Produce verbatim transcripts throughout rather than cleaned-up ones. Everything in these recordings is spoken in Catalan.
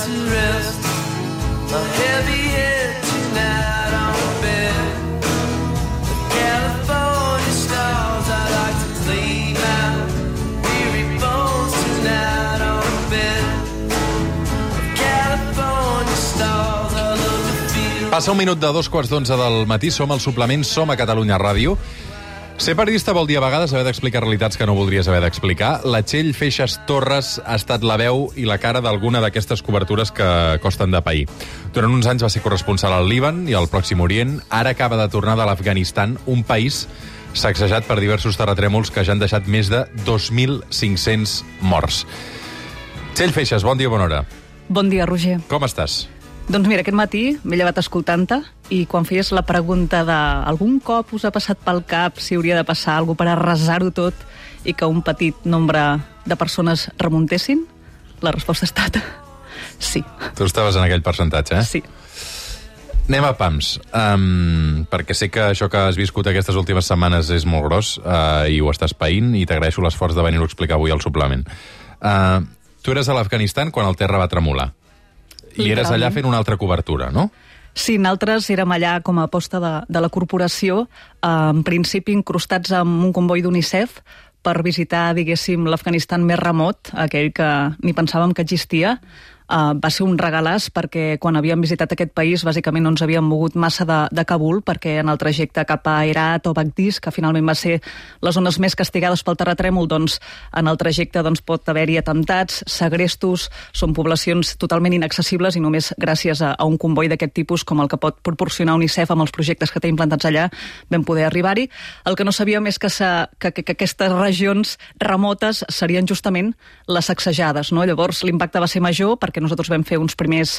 to rest. A heavy head tonight on the bed. The California stars I like to clean out. Weary bones tonight on the bed. The California stars I love to feel. Passa un minut de dos quarts d'onze del matí, som al suplement, som a Catalunya Ràdio. Ser periodista vol dir a vegades haver d'explicar realitats que no voldries haver d'explicar. La Txell Feixas Torres ha estat la veu i la cara d'alguna d'aquestes cobertures que costen de pair. Durant uns anys va ser corresponsal al Líban i al Pròxim Orient. Ara acaba de tornar de l'Afganistan, un país sacsejat per diversos terratrèmols que ja han deixat més de dos mil cinc-cents morts. Txell Feixas, bon dia, bona hora. Bon dia, Roger. Com estàs? Doncs mira, aquest matí m'he llevat escoltant-te i quan feies la pregunta de algun cop us ha passat pel cap si hauria de passar alguna cosa per arrasar-ho tot i que un petit nombre de persones remuntessin, la resposta ha estat sí. Tu estaves en aquell percentatge, eh? Sí. Anem a pams, um, perquè sé que això que has viscut aquestes últimes setmanes és molt gros uh, i ho estàs païnt i t'agraeixo l'esforç de venir-ho a explicar avui al suplement. Uh, tu eres a l'Afganistan quan el terra va tremolar. I eres allà fent una altra cobertura, no? Sí, nosaltres érem allà com a aposta de, de la corporació, eh, en principi incrustats amb un comboi d'UNICEF per visitar, diguéssim, l'Afganistan més remot, aquell que ni pensàvem que existia. Uh, va ser un regalàs perquè quan havíem visitat aquest país bàsicament no ens havíem mogut massa de, de Kabul perquè en el trajecte cap a Herat o Bagdís, que finalment va ser les zones més castigades pel terratrèmol, doncs en el trajecte doncs, pot haver-hi atemptats, segrestos, són poblacions totalment inaccessibles i només gràcies a, a un comboi d'aquest tipus com el que pot proporcionar UNICEF amb els projectes que té implantats allà vam poder arribar-hi. El que no sabíem és que, sa, que, que, que aquestes regions remotes serien justament les sacsejades, no? Llavors l'impacte va ser major perquè nosaltres vam fer uns primers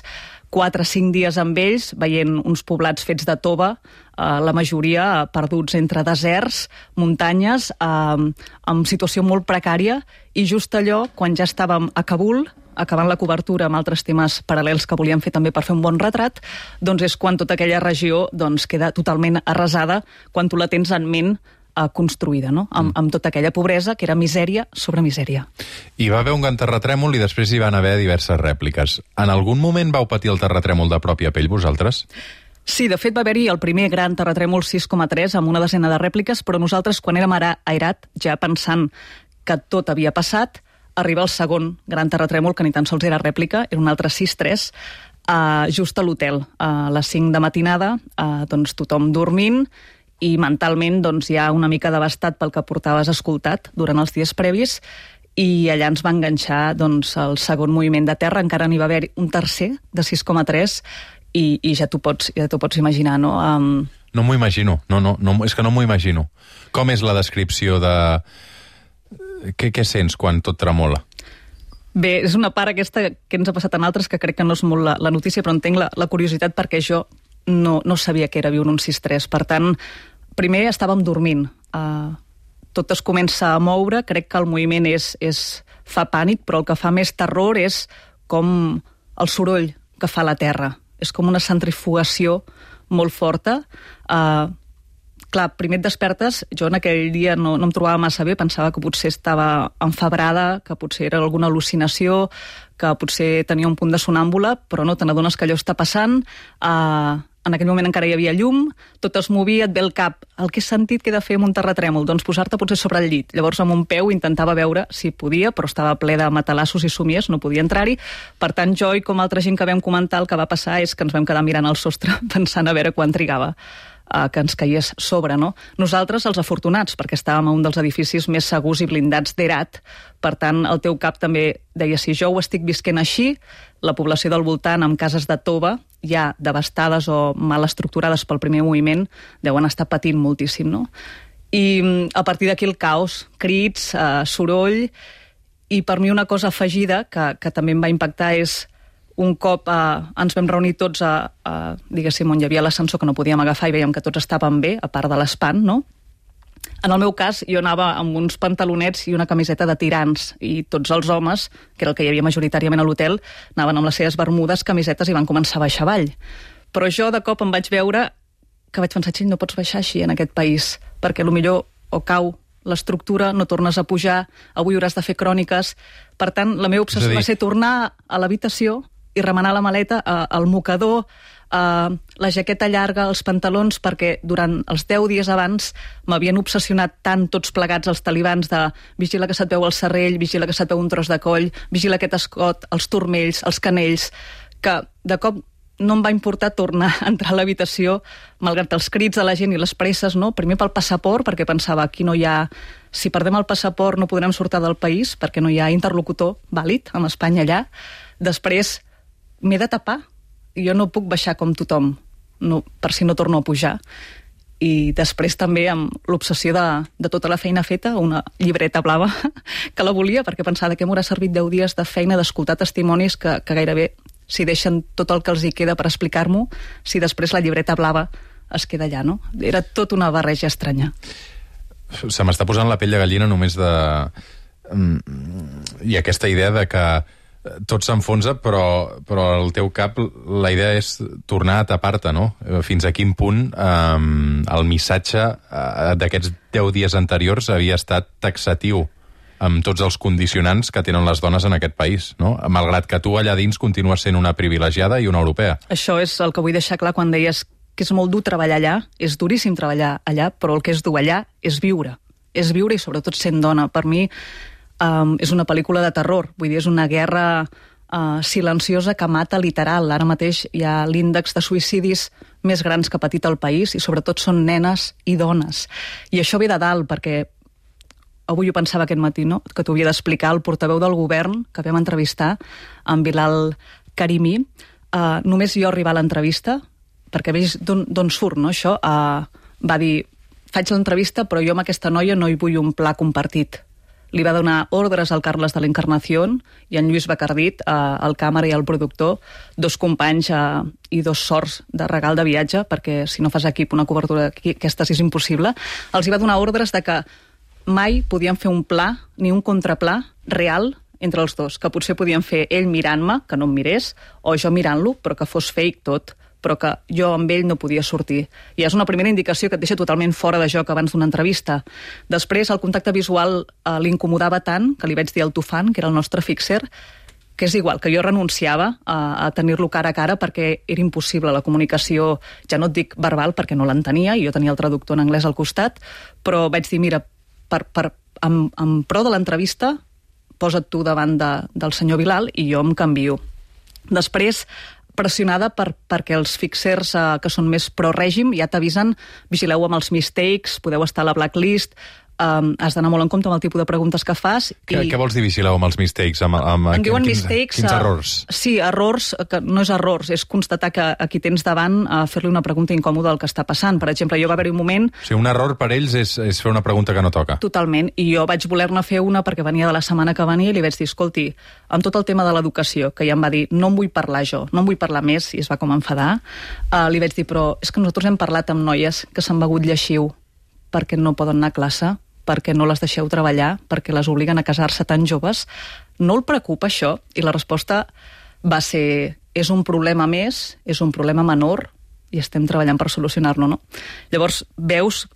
quatre o cinc dies amb ells, veient uns poblats fets de tova, eh, la majoria perduts entre deserts, muntanyes, eh, amb situació molt precària, i just allò, quan ja estàvem a Kabul, acabant la cobertura amb altres temes paral·lels que volíem fer també per fer un bon retrat, doncs és quan tota aquella regió doncs, queda totalment arrasada, quan tu la tens en ment construïda, no? Amb, amb tota aquella pobresa que era misèria sobre misèria. Hi va haver un gran terratrèmol i després hi van haver diverses rèpliques. En algun moment vau patir el terratrèmol de pròpia pell vosaltres? Sí, de fet va haver-hi el primer gran terratrèmol sis coma tres amb una desena de rèpliques, però nosaltres quan érem ara a Herat, ja pensant que tot havia passat, arriba el segon gran terratrèmol, que ni tan sols era rèplica, era un altre sis tres, uh, just a l'hotel. Uh, a les cinc de matinada, uh, doncs tothom dormint, i mentalment doncs, ja una mica devastat pel que portaves escoltat durant els dies previs, i allà ens va enganxar doncs, el segon moviment de terra, encara n'hi va haver un tercer de sis coma tres, i, i ja t'ho pots, ja t'ho pots imaginar, no? Um... No m'ho imagino, no, no, no, és que no m'ho imagino. Com és la descripció de... Què, què sents quan tot tremola? Bé, és una part aquesta que ens ha passat en altres, que crec que no és molt la, la notícia, però entenc la, la curiositat perquè jo no, no sabia que era viure un sis tres. Per tant, primer estàvem dormint. Uh, tot es comença a moure, crec que el moviment és, és, fa pànic, però el que fa més terror és com el soroll que fa la terra. És com una centrifugació molt forta. Uh, clar, primer et despertes, jo en aquell dia no, no em trobava massa bé, pensava que potser estava enfebrada, que potser era alguna al·lucinació, que potser tenia un punt de sonàmbula, però no, te n'adones que allò està passant. Uh, en aquell moment encara hi havia llum, tot es movia, et ve el cap. El que he sentit que he de fer amb un terratrèmol? Doncs posar-te potser sobre el llit. Llavors amb un peu intentava veure si podia, però estava ple de matalassos i somies, no podia entrar-hi. Per tant, jo i com altra gent que vam comentar, el que va passar és que ens vam quedar mirant al sostre pensant a veure quan trigava que ens caigués sobre, no? Nosaltres, els afortunats, perquè estàvem a un dels edificis més segurs i blindats d'Herat. Per tant, el teu cap també deia, si jo ho estic visquent així, la població del voltant, amb cases de tova, ja devastades o mal estructurades pel primer moviment, deuen estar patint moltíssim, no? I a partir d'aquí el caos, crits, eh, soroll, i per mi una cosa afegida que, que també em va impactar és un cop eh, ens vam reunir tots a, a, diguéssim, on hi havia l'ascensor que no podíem agafar i veiem que tots estaven bé, a part de l'espant, no? En el meu cas, jo anava amb uns pantalonets i una camiseta de tirants, i tots els homes, que era el que hi havia majoritàriament a l'hotel, anaven amb les seves bermudes, camisetes, i van començar a baixar avall. Però jo de cop em vaig veure que vaig pensar, xill, no pots baixar així en aquest país, perquè potser o cau l'estructura, no tornes a pujar, avui hauràs de fer cròniques. Per tant, la meva obsessió va ser tornar a l'habitació i i remenar la maleta, eh, el mocador, eh, la jaqueta llarga, els pantalons, perquè durant els deu dies abans m'havien obsessionat tant tots plegats els talibans de vigila que se't veu el serrell, vigila que se't veu un tros de coll, vigila aquest escot, els turmells, els canells, que de cop no em va importar tornar a entrar a l'habitació, malgrat els crits de la gent i les presses, no? Primer pel passaport, perquè pensava, aquí no hi ha... Si perdem el passaport no podrem sortir del país, perquè no hi ha interlocutor vàlid amb Espanya allà. Després m'he de tapar. Jo no puc baixar com tothom, no, per si no torno a pujar. I després també amb l'obsessió de, de tota la feina feta, una llibreta blava, que la volia, perquè pensava que m'haurà servit deu dies de feina d'escoltar testimonis que, que gairebé si deixen tot el que els hi queda per explicar-m'ho, si després la llibreta blava es queda allà, no? Era tot una barreja estranya. Se m'està posant la pell de gallina només de... I aquesta idea de que tot s'enfonsa, però, però al teu cap la idea és tornar a tapar-te, no? Fins a quin punt eh, el missatge eh, d'aquests deu dies anteriors havia estat taxatiu amb tots els condicionants que tenen les dones en aquest país, no? Malgrat que tu allà dins continues sent una privilegiada i una europea. Això és el que vull deixar clar quan deies que és molt dur treballar allà, és duríssim treballar allà, però el que és dur allà és viure. És viure i sobretot sent dona. Per mi um, és una pel·lícula de terror, vull dir, és una guerra uh, silenciosa que mata literal. Ara mateix hi ha l'índex de suïcidis més grans que ha patit el país i sobretot són nenes i dones. I això ve de dalt, perquè avui ho pensava aquest matí, no? Que t'ho havia d'explicar el portaveu del govern que vam entrevistar, en Bilal Karimi. Uh, només jo arribar a l'entrevista, perquè veig d'on surt, no, això, uh, va dir, faig l'entrevista, però jo amb aquesta noia no hi vull un pla compartit. Li va donar ordres al Carles de l'Encarnación i en Lluís Bacardit, uh, el càmera i el productor, dos companys uh, i dos sorts de regal de viatge, perquè si no fas equip una cobertura aquesta és impossible. Els hi va donar ordres de que mai podien fer un pla ni un contraplà real entre els dos, que potser podien fer ell mirant-me, que no em mirés, o jo mirant-lo, però que fos fake tot, però que jo amb ell no podia sortir. I és una primera indicació que et deixa totalment fora de joc abans d'una entrevista. Després, el contacte visual eh, l'incomodava tant que li vaig dir al Tufan, que era el nostre fixer, que és igual, que jo renunciava a, a tenir-lo cara a cara perquè era impossible la comunicació, ja no et dic verbal perquè no l'entenia, i jo tenia el traductor en anglès al costat, però vaig dir, mira, per, per, en, en pro de l'entrevista, posa't tu davant de, del senyor Bilal i jo em canvio. Després, pressionada per, perquè els fixers eh, que són més pro-règim ja t'avisen, vigileu amb els mistakes, podeu estar a la blacklist, um, has d'anar molt en compte amb el tipus de preguntes que fas. Què, i... què vols dir vigileu amb els mistakes? Amb, amb, en diuen quins, mistakes... Quins errors? Uh, sí, errors, que no és errors, és constatar que a qui tens davant uh, fer-li una pregunta incòmoda del que està passant. Per exemple, jo va haver-hi un moment... O sigui, un error per ells és, és fer una pregunta que no toca. Totalment, i jo vaig voler-ne fer una perquè venia de la setmana que venia i li vaig dir, escolti, amb tot el tema de l'educació, que ja em va dir, no em vull parlar jo, no em vull parlar més, i es va com enfadar, uh, li vaig dir, però és que nosaltres hem parlat amb noies que s'han begut lleixiu perquè no poden anar a classe, perquè no les deixeu treballar, perquè les obliguen a casar-se tan joves. No el preocupa això? I la resposta va ser, és un problema més, és un problema menor, i estem treballant per solucionar-lo, no? Llavors, veus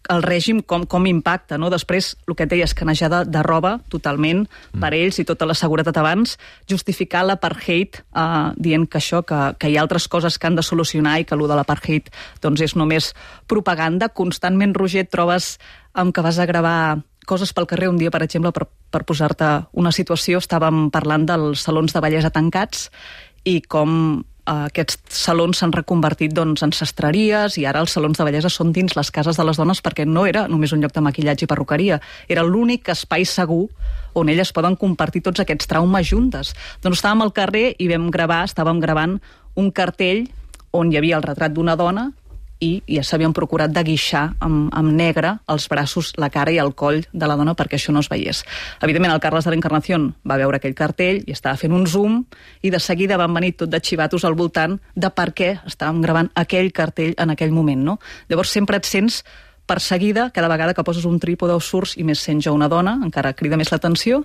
el règim com, com impacta, no? Després, el que et deies, canejada de roba, totalment, mm. per ells i tota la seguretat abans, justificar l'apartheid eh, dient que això, que, que hi ha altres coses que han de solucionar i que allò de l'apartheid doncs és només propaganda. Constantment, Roger, et trobes amb que vas a gravar coses pel carrer. Un dia, per exemple, per, per posar-te una situació, estàvem parlant dels salons de bellesa tancats i com aquests salons s'han reconvertit doncs, en sastreries, i ara els salons de bellesa són dins les cases de les dones, perquè no era només un lloc de maquillatge i perruqueria, era l'únic espai segur on elles poden compartir tots aquests traumes juntes. Doncs estàvem al carrer i vam gravar, estàvem gravant un cartell on hi havia el retrat d'una dona i ja s'havien procurat de guixar amb, amb negre els braços, la cara i el coll de la dona perquè això no es veiés. Evidentment, el Carles de l'Encarnación va veure aquell cartell i estava fent un zoom i de seguida van venir tot de xivatos al voltant de per què estàvem gravant aquell cartell en aquell moment, no? Llavors sempre et sents perseguida cada vegada que poses un trípode o surts, i més sent jo una dona, encara crida més l'atenció,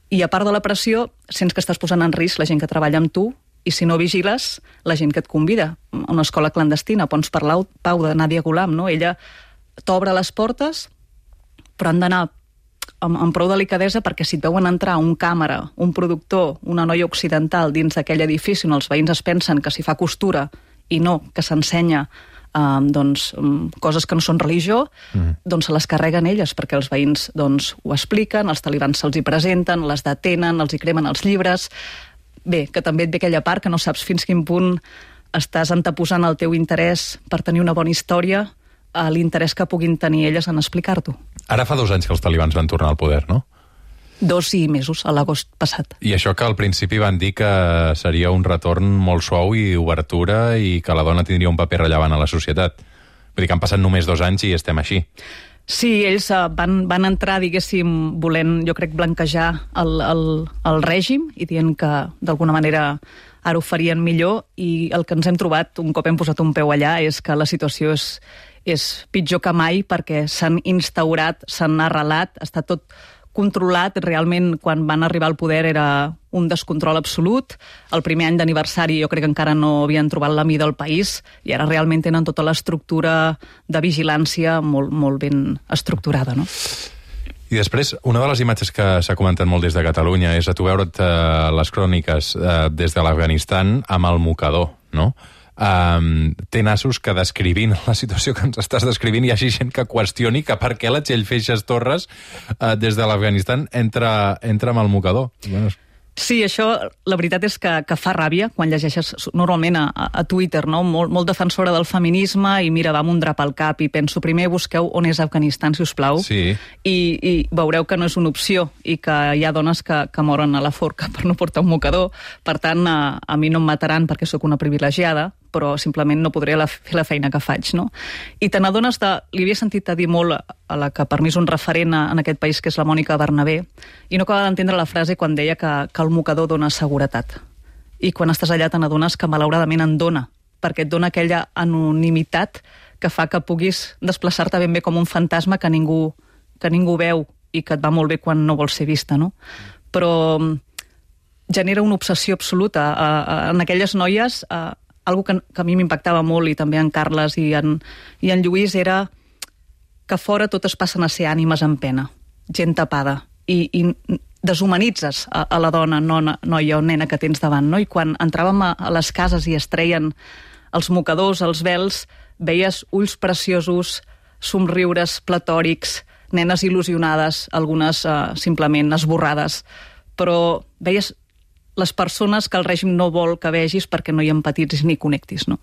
i a part de la pressió, sents que estàs posant en risc la gent que treballa amb tu, i si no vigiles, la gent que et convida a una escola clandestina. Pons per Pau de Nadia Gulam, no? Ella t'obre les portes, però han d'anar amb, amb prou delicadesa, perquè si et veuen entrar un càmera, un productor, una noia occidental dins d'aquell edifici on els veïns es pensen que s'hi fa costura i no, que s'ensenya Uh, doncs, um, coses que no són religió, mm. doncs se les carreguen elles, perquè els veïns doncs, ho expliquen, els talibans se'ls hi presenten, les detenen, els hi cremen els llibres. Bé, que també et ve aquella part que no saps fins quin punt estàs anteposant el teu interès per tenir una bona història a l'interès que puguin tenir elles en explicar-t'ho. Ara fa dos anys que els talibans van tornar al poder, no? Dos i mesos, a l'agost passat. I això que al principi van dir que seria un retorn molt suau i obertura i que la dona tindria un paper rellevant a la societat. Vull dir que han passat només dos anys i estem així. Sí, ells uh, van, van entrar, diguéssim, volent, jo crec, blanquejar el, el, el règim i dient que, d'alguna manera, ara ho farien millor, i el que ens hem trobat, un cop hem posat un peu allà, és que la situació és, és pitjor que mai, perquè s'han instaurat, s'han arrelat, està tot controlat. Realment, quan van arribar al poder era un descontrol absolut. El primer any d'aniversari jo crec que encara no havien trobat la mida del país i ara realment tenen tota l'estructura de vigilància molt, molt ben estructurada, no? I després, una de les imatges que s'ha comentat molt des de Catalunya és a tu veure't eh, les cròniques eh, des de l'Afganistan amb el mocador, no? Um, té nassos que descrivint la situació que ens estàs descrivint hi hagi gent que qüestioni que per què la Txell Feixas Torres uh, des de l'Afganistan entra, entra amb el mocador. Bueno, sí, això, la veritat és que, que fa ràbia quan llegeixes normalment a, a Twitter, no? Molt, molt defensora del feminisme i mira, va amb un drap al cap i penso, primer busqueu on és Afganistan, si us plau, sí. i, i veureu que no és una opció i que hi ha dones que, que moren a la forca per no portar un mocador. Per tant, a, a mi no em mataran perquè sóc una privilegiada, però simplement no podré la, fer la feina que faig, no? I te n'adones de... Li havia sentit a dir molt a la que per mi és un referent en aquest país, que és la Mònica Bernabé, i no acaba d'entendre la frase quan deia que, que el mocador dona seguretat. I quan estàs allà te n'adones que malauradament en dona, perquè et dona aquella anonimitat que fa que puguis desplaçar-te ben bé com un fantasma que ningú, que ningú veu i que et va molt bé quan no vols ser vista, no? Però genera una obsessió absoluta a, a, en aquelles noies. A, algo que, que a mi m'impactava molt, i també en Carles i en, i en Lluís, era que fora totes passen a ser ànimes en pena, gent tapada, i, i deshumanitzes a, a la dona, nona, noia o nena que tens davant, no? I quan entràvem a, a les cases i es treien els mocadors, els vels, veies ulls preciosos, somriures platòrics, nenes il·lusionades, algunes uh, simplement esborrades, però veies les persones que el règim no vol que vegis perquè no hi empatitzis ni connectis, no?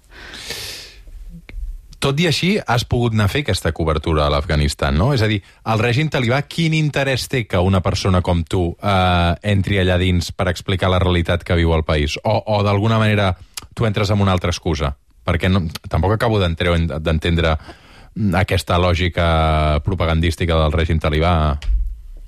Tot i així, has pogut anar a fer aquesta cobertura a l'Afganistan, no? És a dir, el règim talibà, quin interès té que una persona com tu eh, entri allà dins per explicar la realitat que viu el país? O, o d'alguna manera, tu entres amb una altra excusa? Perquè no, tampoc acabo d'entendre aquesta lògica propagandística del règim talibà.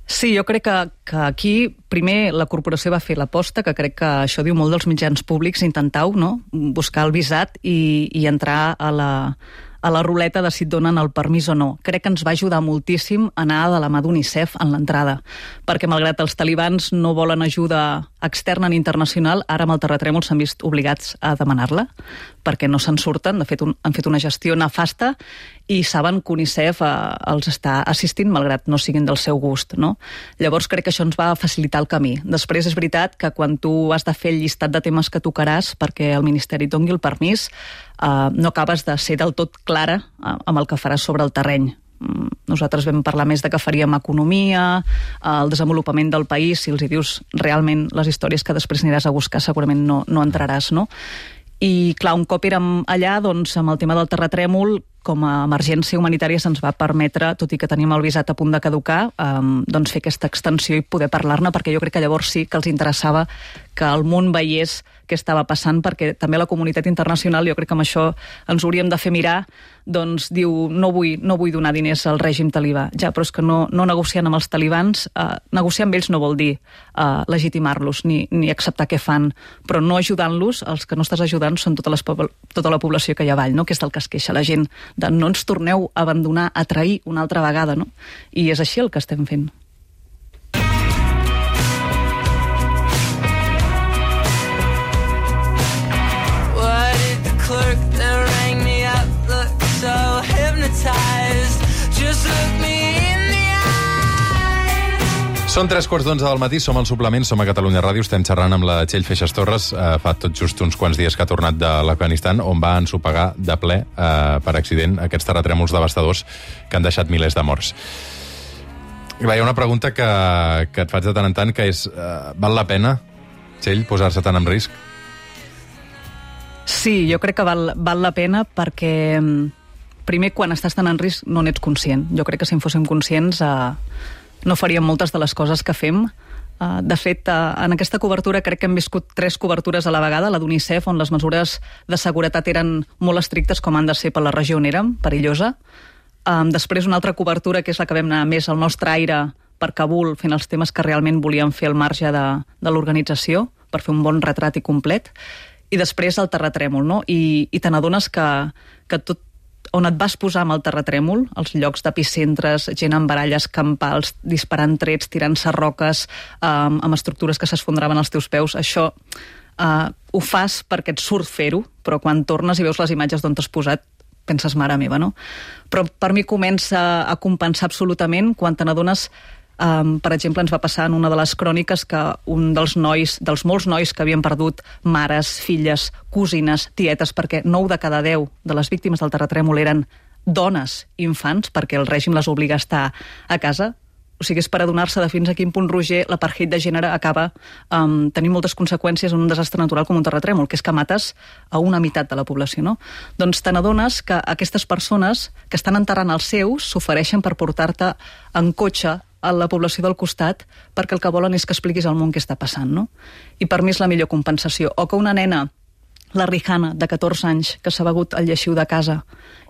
Sí, jo crec que, que aquí, primer, la corporació va fer l'aposta, que crec que això diu molt dels mitjans públics, intentau, no?, buscar el visat i, i entrar a la, a la ruleta de si et donen el permís o no. Crec que ens va ajudar moltíssim anar de la mà d'UNICEF en l'entrada, perquè malgrat els talibans no volen ajuda externa ni internacional, ara amb el terratrèmol s'han vist obligats a demanar-la, perquè no se'n surten. De fet, un, han fet una gestió nefasta i saben que UNICEF eh, els està assistint, malgrat no siguin del seu gust, no? Llavors crec que això ens va facilitar el camí. Després és veritat que quan tu has de fer el llistat de temes que tocaràs perquè el Ministeri et doni el permís, eh, no acabes de ser del tot clara eh, amb el que faràs sobre el terreny. Nosaltres vam parlar més de que faríem economia, el desenvolupament del país. Si els hi dius realment les històries que després aniràs a buscar, segurament no, no entraràs, no? I clar, un cop érem allà, doncs, amb el tema del terratrèmol, com a emergència humanitària se'ns va permetre, tot i que teníem el visat a punt de caducar, eh, doncs fer aquesta extensió i poder parlar-ne, perquè jo crec que llavors sí que els interessava que el món veiés què estava passant, perquè també la comunitat internacional, jo crec que amb això ens hauríem de fer mirar, doncs diu, no vull, no vull donar diners al règim talibà. Ja, però és que no, no negociant amb els talibans, eh, negociar amb ells no vol dir eh, legitimar-los ni, ni acceptar què fan, però no ajudant-los, els que no estàs ajudant són tota, les, tota la població que hi ha avall, no? Que és del que es queixa la gent, de no ens torneu a abandonar, a trair una altra vegada, no? I és així el que estem fent. So hypnotized, just look me in the eye. Són tres quarts d'onze del matí, som al suplement, som a Catalunya Ràdio, estem xerrant amb la Txell Feixas Torres, eh, fa tot just uns quants dies que ha tornat de l'Afganistan, on va ensopegar de ple, eh, per accident, aquests terratrèmols devastadors que han deixat milers de morts. Hi ha una pregunta que, que et faig de tant en tant, que és, eh, val la pena, Txell, posar-se tant en risc? Sí, jo crec que val, val la pena perquè, primer, quan estàs tan en risc no n'ets conscient. Jo crec que si en fóssim conscients eh, no faríem moltes de les coses que fem. Uh, de fet, uh, en aquesta cobertura crec que hem viscut tres cobertures a la vegada, la d'UNICEF, on les mesures de seguretat eren molt estrictes, com han de ser per la regió on érem, perillosa. Um, després una altra cobertura, que és la que vam anar més al nostre aire per Kabul, fent els temes que realment volíem fer al marge de, de l'organització, per fer un bon retrat i complet. I després el terratrèmol, no? I, i te n'adones que, que tot on et vas posar amb el terratrèmol, els llocs d'epicentres, gent amb baralles campals, disparant trets, tirant-se roques, um, amb estructures que s'esfondraven als teus peus, això uh, ho fas perquè et surt fer-ho, però quan tornes i veus les imatges d'on t'has posat, penses, mare meva, no? Però per mi comença a compensar absolutament quan te n'adones. Um, per exemple, ens va passar en una de les cròniques que un dels nois, dels molts nois que havien perdut mares, filles, cosines, tietes, perquè nou de cada deu de les víctimes del terratrèmol eren dones i infants, perquè el règim les obliga a estar a casa. O sigui, és per adonar-se de fins a quin punt, Roger, l'apartheid de gènere acaba um, tenint moltes conseqüències en un desastre natural com un terratrèmol, que és que mates a una meitat de la població, no? Doncs te n'adones que aquestes persones que estan enterrant els seus s'ofereixen per portar-te en cotxe a la població del costat perquè el que volen és que expliquis al món què està passant, no? I per mi és la millor compensació. O que una nena, la Rihanna, de catorze anys, que s'ha begut el lleixiu de casa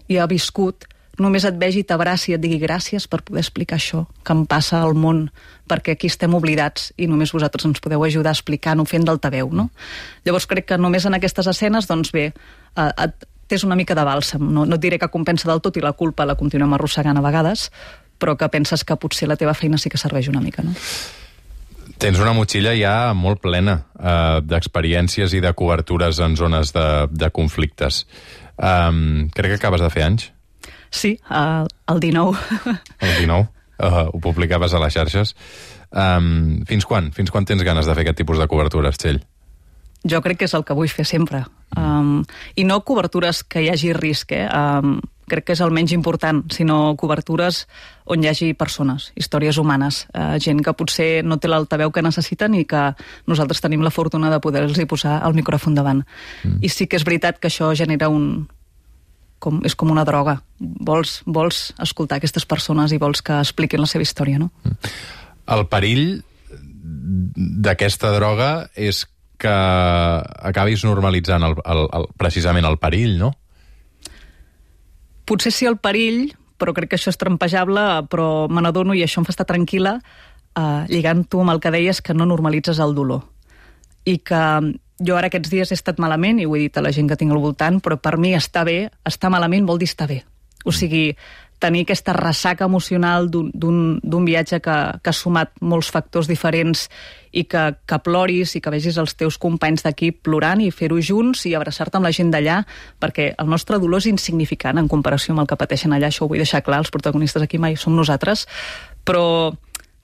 i ha viscut, només et vegi, t'abraci i et digui gràcies per poder explicar això que em passa al món, perquè aquí estem oblidats i només vosaltres ens podeu ajudar explicant-ho, fent d'altaveu, no? Llavors crec que només en aquestes escenes, doncs bé, eh, et, tens una mica de bàlsam. No, no et diré que compensa del tot i la culpa la continuem arrossegant a vegades, però que penses que potser la teva feina sí que serveix una mica, no? Tens una motxilla ja molt plena eh, d'experiències i de cobertures en zones de, de conflictes. Um, crec que acabes de fer anys. Sí, el, el dinou. El dinou. Uh, ho publicaves a les xarxes. Um, fins quan? Fins quan tens ganes de fer aquest tipus de cobertures, Txell? Jo crec que és el que vull fer sempre. Um, I no cobertures que hi hagi risc, eh? Um, crec que és el menys important, sinó cobertures on hi hagi persones, històries humanes, eh, gent que potser no té l'altaveu que necessiten i que nosaltres tenim la fortuna de poder-los posar el micròfon davant. Mm. I sí que és veritat que això genera un... Com, és com una droga. Vols, vols escoltar aquestes persones i vols que expliquin la seva història, no? Mm. El perill d'aquesta droga és que acabis normalitzant el, el, el, precisament el perill, no? Potser sí el perill, però crec que això és trampejable, però me n'adono i això em fa estar tranquil·la, eh, lligant-ho amb el que deies, que no normalitzes el dolor. I que jo ara aquests dies he estat malament, i ho he dit a la gent que tinc al voltant, però per mi estar bé, estar malament vol dir estar bé. O sigui, tenir aquesta ressaca emocional d'un viatge que, que ha sumat molts factors diferents i que, que ploris i que vegis els teus companys d'equip plorant i fer-ho junts i abraçar-te amb la gent d'allà, perquè el nostre dolor és insignificant en comparació amb el que pateixen allà, això ho vull deixar clar, els protagonistes aquí mai som nosaltres, però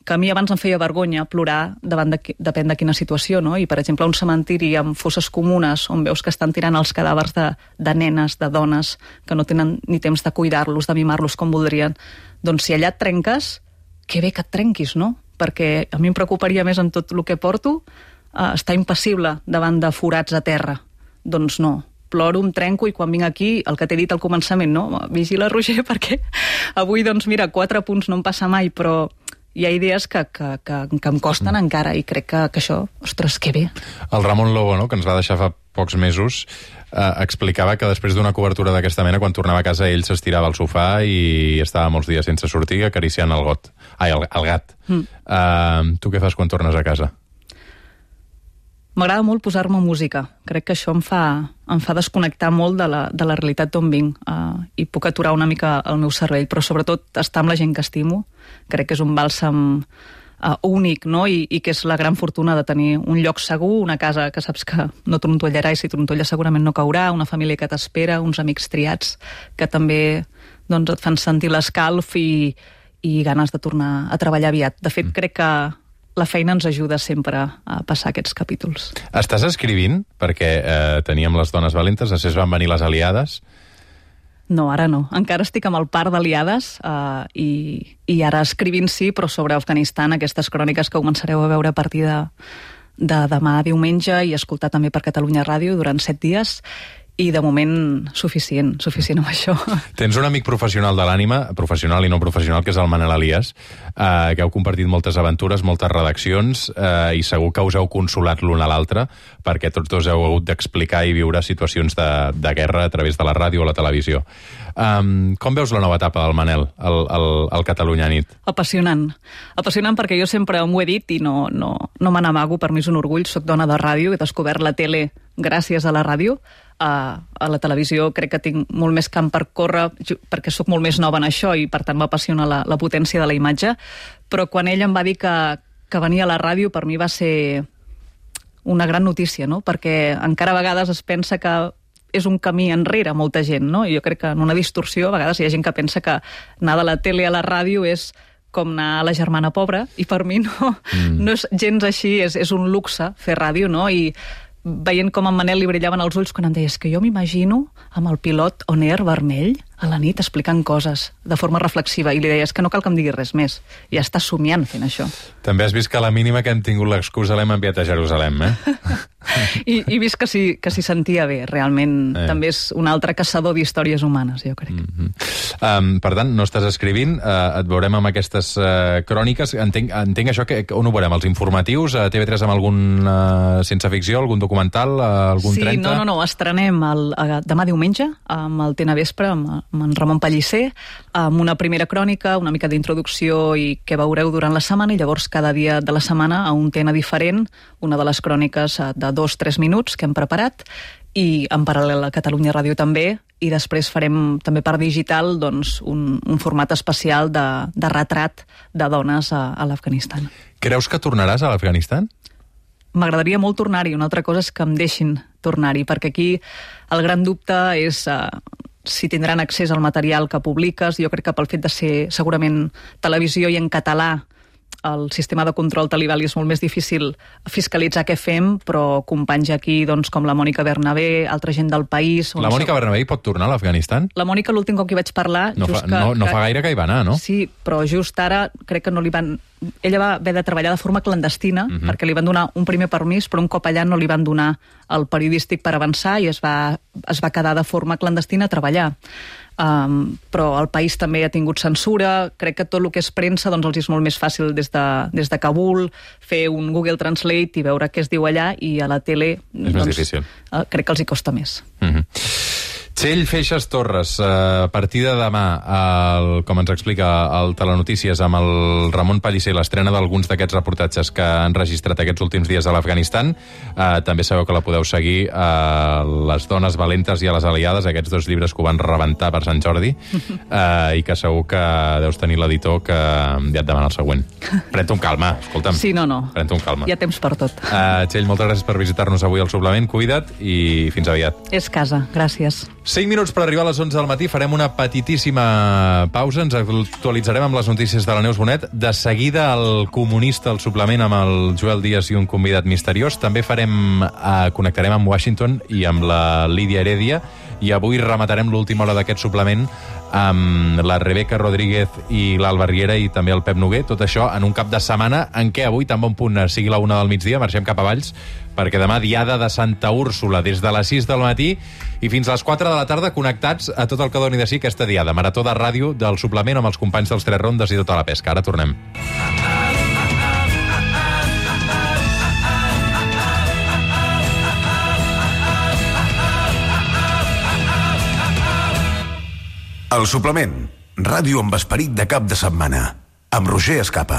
que a mi abans em feia vergonya plorar davant de, depèn de quina situació, no? I, per exemple, un cementiri amb fosses comunes on veus que estan tirant els cadàvers de, de nenes, de dones, que no tenen ni temps de cuidar-los, de mimar-los com voldrien, doncs si allà et trenques, que bé que et trenquis, no? Perquè a mi em preocuparia més en tot el que porto eh, estar impassible davant de forats a terra. Doncs no, ploro, em trenco i quan vinc aquí, el que t'he dit al començament, no? Vigila, Roger, perquè avui, doncs mira, quatre punts no em passa mai, però hi ha idees que, que, que, que em costen encara i crec que, que això, ostres, que bé. El Ramon Lobo, no?, que ens va deixar fa pocs mesos, eh, explicava que després d'una cobertura d'aquesta mena, quan tornava a casa, ell s'estirava al sofà i estava molts dies sense sortir acariciant el got. Ai, el, el gat. Mm. Eh, tu què fas quan tornes a casa? M'agrada molt posar-me música. Crec que això em fa, em fa desconnectar molt de la, de la realitat d'on vinc uh, i puc aturar una mica el meu cervell, però sobretot estar amb la gent que estimo. Crec que és un bàlsam uh, únic, no? I, i que és la gran fortuna de tenir un lloc segur, una casa que saps que no trontollarà i si trontolla segurament no caurà, una família que t'espera, uns amics triats que també doncs, et fan sentir l'escalf i, i ganes de tornar a treballar aviat. De fet, crec que la feina ens ajuda sempre a passar aquests capítols. Estàs escrivint? Perquè eh, teníem les dones valentes, després van venir les aliades. No, ara no. Encara estic amb el par d'aliades eh, i, i ara escrivint sí, però sobre Afganistan, aquestes cròniques que començareu a veure a partir de, de demà diumenge i escoltar també per Catalunya Ràdio durant set dies. I de moment suficient, suficient amb això. Tens un amic professional de l'ànima, professional i no professional, que és el Manel Elias, eh, que heu compartit moltes aventures, moltes redaccions, eh, i segur que us heu consolat l'un a l'altre, perquè tots dos heu hagut d'explicar i viure situacions de, de guerra a través de la ràdio o la televisió. Um, com veus la nova etapa del Manel, al, al, al Catalunya Nit? Apassionant. Apassionant perquè jo sempre m'ho he dit i no, no, no me n'amago, per mi és un orgull, soc dona de ràdio, he descobert la tele gràcies a la ràdio. Uh, a la televisió crec que tinc molt més camp per córrer perquè sóc molt més nova en això i per tant m'apassiona la, la potència de la imatge, però quan ell em va dir que, que venia a la ràdio per mi va ser una gran notícia, no? Perquè encara a vegades es pensa que és un camí enrere molta gent, no? I jo crec que en una distorsió a vegades hi ha gent que pensa que anar de la tele a la ràdio és com anar a la germana pobra, i per mi no, mm. no és gens així, és, és un luxe fer ràdio, no? I veient com en Manel li brillaven els ulls quan em deies que jo m'imagino amb el pilot on air vermell a la nit explicant coses de forma reflexiva, i li deies que no cal que em diguis res més, ja està somiant fent això. També has vist que a la mínima que hem tingut l'excusa l'hem enviat a Jerusalem, eh? I, i vist que s'hi que s'hi sentia bé, realment eh. també és un altre caçador d'històries humanes, jo crec. Mm-hmm. um, per tant, no estàs escrivint, uh, et veurem amb aquestes uh, cròniques, entenc, entenc això, que on ho veurem, els informatius, a T V tres amb algun uh, sense ficció, algun documental, uh, algun sí, trenta? Sí, no, no, no, estrenem el, uh, demà diumenge amb el Tena Vespre, amb, amb en Ramon Pellicer, amb una primera crònica, una mica d'introducció i què veureu durant la setmana, i llavors cada dia de la setmana a un tema diferent, una de les cròniques de dos, tres minuts que hem preparat, i en paral·lel a Catalunya Ràdio també, i després farem també per digital doncs, un, un format especial de, de retrat de dones a, a l'Afganistan. Creus que tornaràs a l'Afganistan? M'agradaria molt tornar-hi, una altra cosa és que em deixin tornar-hi, perquè aquí el gran dubte és uh, si tindran accés al material que publiques. Jo crec que pel fet de ser segurament televisió i en català, el sistema de control talibà li és molt més difícil fiscalitzar què fem, però companys aquí doncs, com la Mònica Bernabé, altra gent del país... La Mònica Bernabé hi pot tornar a l'Afganistan? La Mònica, l'últim cop que hi vaig parlar... No, just fa, que, no, no que... fa gaire que hi va anar, no? Sí, però just ara crec que no li van... Ella va haver de treballar de forma clandestina, uh-huh. perquè li van donar un primer permís, però un cop allà no li van donar el periodístic per avançar i es va, es va quedar de forma clandestina a treballar. Um, però el país també ha tingut censura, crec que tot el que és premsa doncs els és molt més fàcil des de, des de Kabul fer un Google Translate i veure què es diu allà, i a la tele és doncs, més difícil. Uh, crec que els hi costa més. Mm-hmm. Txell Feixas Torres, a partir de demà, el, com ens explica el Telenotícies amb el Ramon Pellicer, l'estrena d'alguns d'aquests reportatges que han registrat aquests últims dies a l'Afganistan. Eh, també sabeu que la podeu seguir a Les dones valentes i a les aliades, aquests dos llibres que ho van rebentar per Sant Jordi, eh, i que segur que deus tenir l'editor que ja et demana el següent. Pren-te un calma, escolta'm. Sí, no, no. Pren-te un calma. Hi ha temps per tot. Eh, Txell, moltes gràcies per visitar-nos avui al Suplement. Cuida't i fins aviat. És casa, gràcies. cinc minuts per arribar a les onze del matí, farem una petitíssima pausa, ens actualitzarem amb les notícies de la Neus Bonet, de seguida el Comunista, el suplement amb el Joel Díaz i un convidat misteriós, també farem, eh, connectarem amb Washington i amb la Lídia Heredia, i avui rematarem l'última hora d'aquest suplement amb la Rebeca Rodríguez i l'Alba Riera i també el Pep Noguer, tot això en un cap de setmana en què avui, tan bon punt sigui la una del migdia, marxem cap a Valls, perquè demà diada de Santa Úrsula des de les sis del matí i fins a les quatre de la tarda connectats a tot el que doni de si aquesta diada. Marató de ràdio del suplement amb els companys dels Tres Rondes i tota la pesca. Ara tornem. El suplement, ràdio amb esperit de cap de setmana, amb Roger Escapa.